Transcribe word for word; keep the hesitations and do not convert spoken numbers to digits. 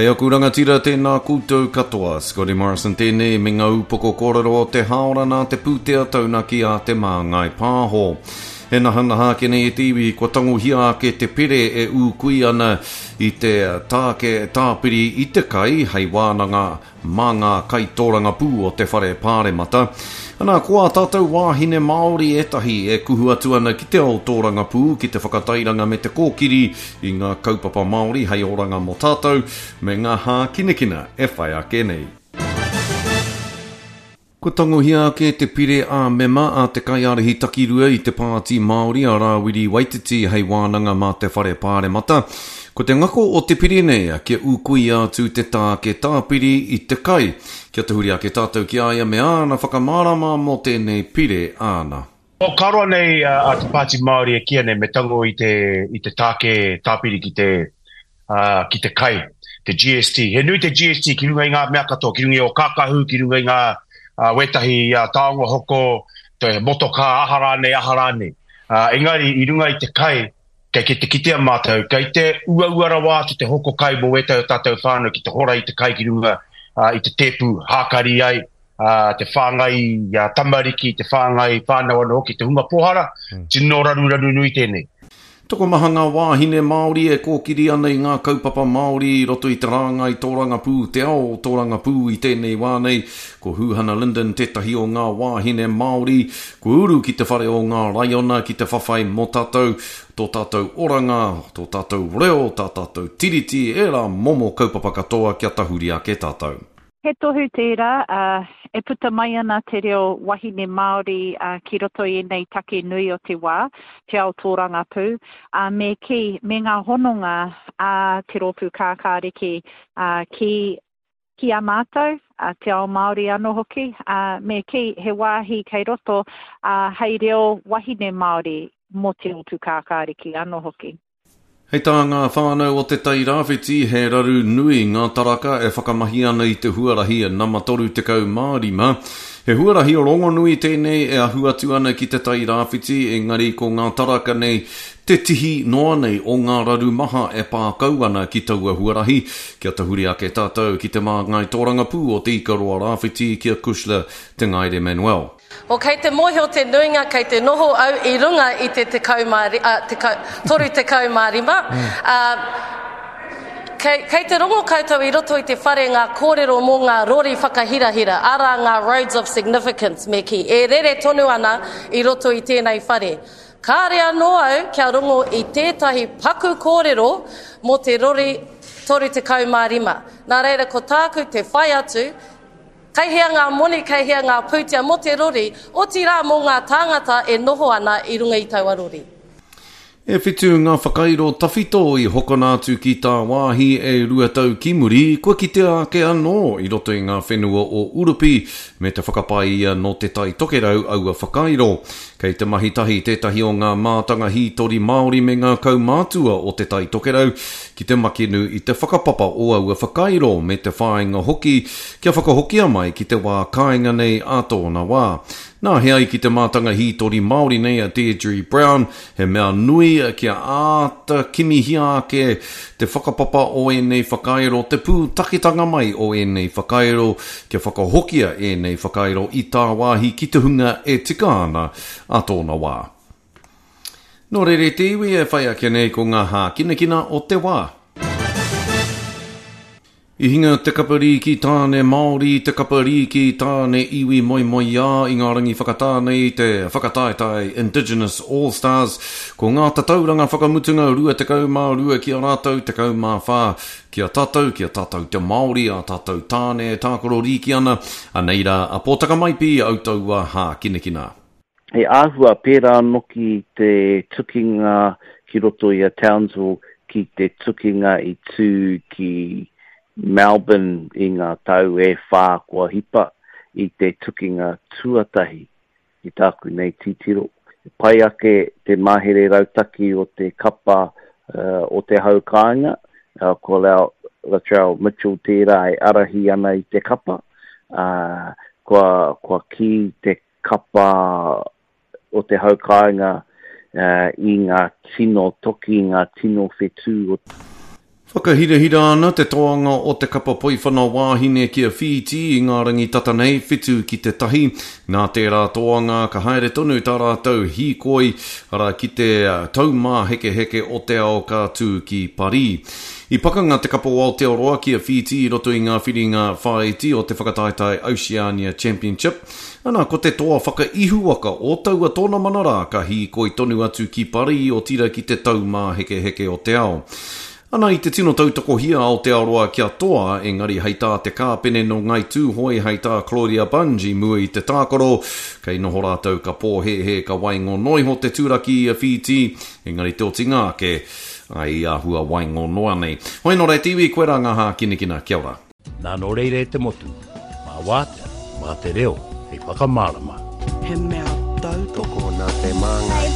Kei aku rangatira tēnā koutou katoa, Scotty Morrison tēnei me ngā upoko kōrero o te haora nā te pūtea taunaki a Te Māngai Pāho. E nahanaha ake nei e te iwi, kua tangohia ake te pere e ūkui ana i te tāke tāpiri i te kai hei wānanga mā ngā kaitōrangapū o te whare pāremata. Ana, ko ā tātou wāhine Māori ētahi e kuhu atu ana ki te ao tōrangapū, ki te whakatairanga me te kōkiri i ngā kaupapa Māori hei oranga mō tātou me ngā hākinakina e whai ake nei. Kua tangohia ake te pire ā-mema a te kaiārahi takirua i te Pāti Māori a Rāwiri Waititi hei wānanga mā te whare pāremata. Ko te ngako o te pire nei kia ūkuia atu te tāke tāpiri i te kai. Kia tahuri ake tātou ki a ia me āna whakamārama mō tēnei pire āna. O ka roa nei a te Pāti Māori e kīia nei me tango i te, i te tāke tāpiri ki te, uh, ki te kai, te G S T. He nui te G S T ki runga i ngā mea katoa, ki runga i o kākahu, ki runga i ngā uh, wētahi uh, taonga hoko, te motokā, aha rānei, aha rānei. Uh, engari, i runga i te kai, kei ke te kitea mātou, kei te uaua rawa atu te hoko kai mō wētahi o tātou whānau ki te hora i te kai ki runga uh, i te tēpu hākari ai, uh, te whāngai uh, tamariki, te whāngai whānau anō hoki, te hunga pōhara, mm. tino raruraru nui tēnei. Tokomaha ngā wāhine Māori e kōkiri ana i ngā kaupapa Māori i roto i te rāngai tōrangapū, te ao tōrangapū i tēnei wā nei. Ko Huhana Lyndon tētahi o ngā wāhine Māori, kua uru ki te whare o ngā raiona ki te whawhai mō tātou, tō tātou oranga, tō tātou reo, tā tātou tiriti, e rā momo kaupapa katoa kia tahuri ake tātou. He tohu tērā, uh, e puta mai ana te reo wahine Māori uh, ki roto i ēnei take nui o te wā, te ao tōrangapū, uh, me ki, me ngā hononga a te rōpū kākāriki uh, ki, ki a mātou, uh, te ao Māori anō hoki, uh, me ki he wāhi kei roto uh, hei reo wahine Māori mō te rōpū kākāriki anō hoki. Hei tā ngā whānau o te Tairāwhiti, he raru nui ngā taraka e whakamahi ana i te huarahi nama toru tekau mā rima. He huarahi rongonui tēnei e ahu atu ana ki te Tairāwhiti, engari ko ngā taraka nei te tihi noa nei o ngā raru maha e pākau ana ki taua huarahi. Kia tahuri ake tātou ki te māngai tōrangapū o te Ikaroa Rāwhiti ki a Kushla Te Ngaere Manuel. O kei te mōhio te nuinga, kei te noho au i runga i te tekau mā ri-, a, tekau, toru tekau mā rima. Uh, kei, kei te rongo koutou i roto i te whare ngā kōrero mō ngā rori whakahirahira, arā ngā roads of significance me ki, e rere tonu ana i roto i tēnei whare. Kāre anō au kia rongo i tētahi paku kōrero mō te rori toru tekau mā rima. Nā reira ko tāku te whai atu, kei hea ngā moni, kei hea ngā pūtea mō te rori, otirā mō ngā tāngata e noho ana i runga i taua rori. E whitu ngā whakairo tawhito i hokona atu ki tā wāhi e rua tau ki muri, kua kitea ake anō i roto i ngā whenua o Urupi me te whakapae ia nō te Tai Tokerau aua whakairo. Kei te mahi tahi tētahi o ngā mātanga hītori Māori me ngā kaumātua o te Tai Tokerau ki te makenu i te whakapapa o aua whakairo me te whāinga hoki kia whakahokia mai ki te wā kāinga nei a tōna wā. Nā he ai ki te mātanga hītori Māori nei a Deirdre Brown, he mea nui kia āta kimihia ake te whakapapa o ēnei whakairo, te pūtaketanga mai o ēnei whakairo, kia whakahokia ēnei whakairo i tāwāhi ki te hunga e tika ana a tōna wā. Nō reira te iwi e whai ake nei ko ngā hākinakina o te wā. I hinga te kaparīki tāne Māori, te kaparīki tāne iwi moemoeā i ngā rangi whakatāne i te whakataetae Indigenous All Stars. Ko ngā tatauranga whakamutunga rua tekau mā rua ki a rātou tekau mā whā. Ki a tātou, ki a tātou te Māori, a tātou tāne tākaro rīki ana, anei rā a Pōtaka Maipi au taua hākinakina. He āhua pērā noki te tukinga ki roto i a Townsville ki te tukinga i tū ki Melbourne i ngā tau e whā kua hipa i te tukinga tuatahi ki tāku nei titiro. Pai ake te mahere rautaki o te kapa, uh, o te hau kāinga, uh, ko Lau, Latrell Mitchell tērā e arahi ana i te kapa, uh, kua, kua ki te kapa o te hau kāinga, uh, i ngā tino toki, ngā tino whetū o Whakahirahira ana te toanga o te kapa poiwhana wāhine ki a Whītī i ngā rangi tata nei, whitu ki te tahi. Nā tērā toanga ka haere tonu tā rātou hīkoi, arā, ki te Taumāhekeheke o te Ao ka tū ki Parī. I pakanga te kapa o Aotearoa ki a Whītī i roto i ngā whiringa whāiti o te whakataetae Oceania Championship. Ana, ko te toa whakaihuwaka o taua tōnamana rā ka hīkoi tonu atu ki Parī, otira ki te Taumāhekeheke o te Ao. Ana i te tino tautokohia Aotearoa kia toa, engari hei tā te kāpene nō Ngāi Tūhoe hei tā Claudia Bunge i mua i te tākaro, kei noho rātou ka pōhēhē ka waingo iho te turaki i a Whītī, engari te otinga ake, ai i āhua waingo noa nei. Hoi nō reira te iwi, koirā ngā hākinakina, kia ora. Nā nō reira e te motu, mā wātea, mā te reo hei whakamārama. He mea tautoko nā te māngai.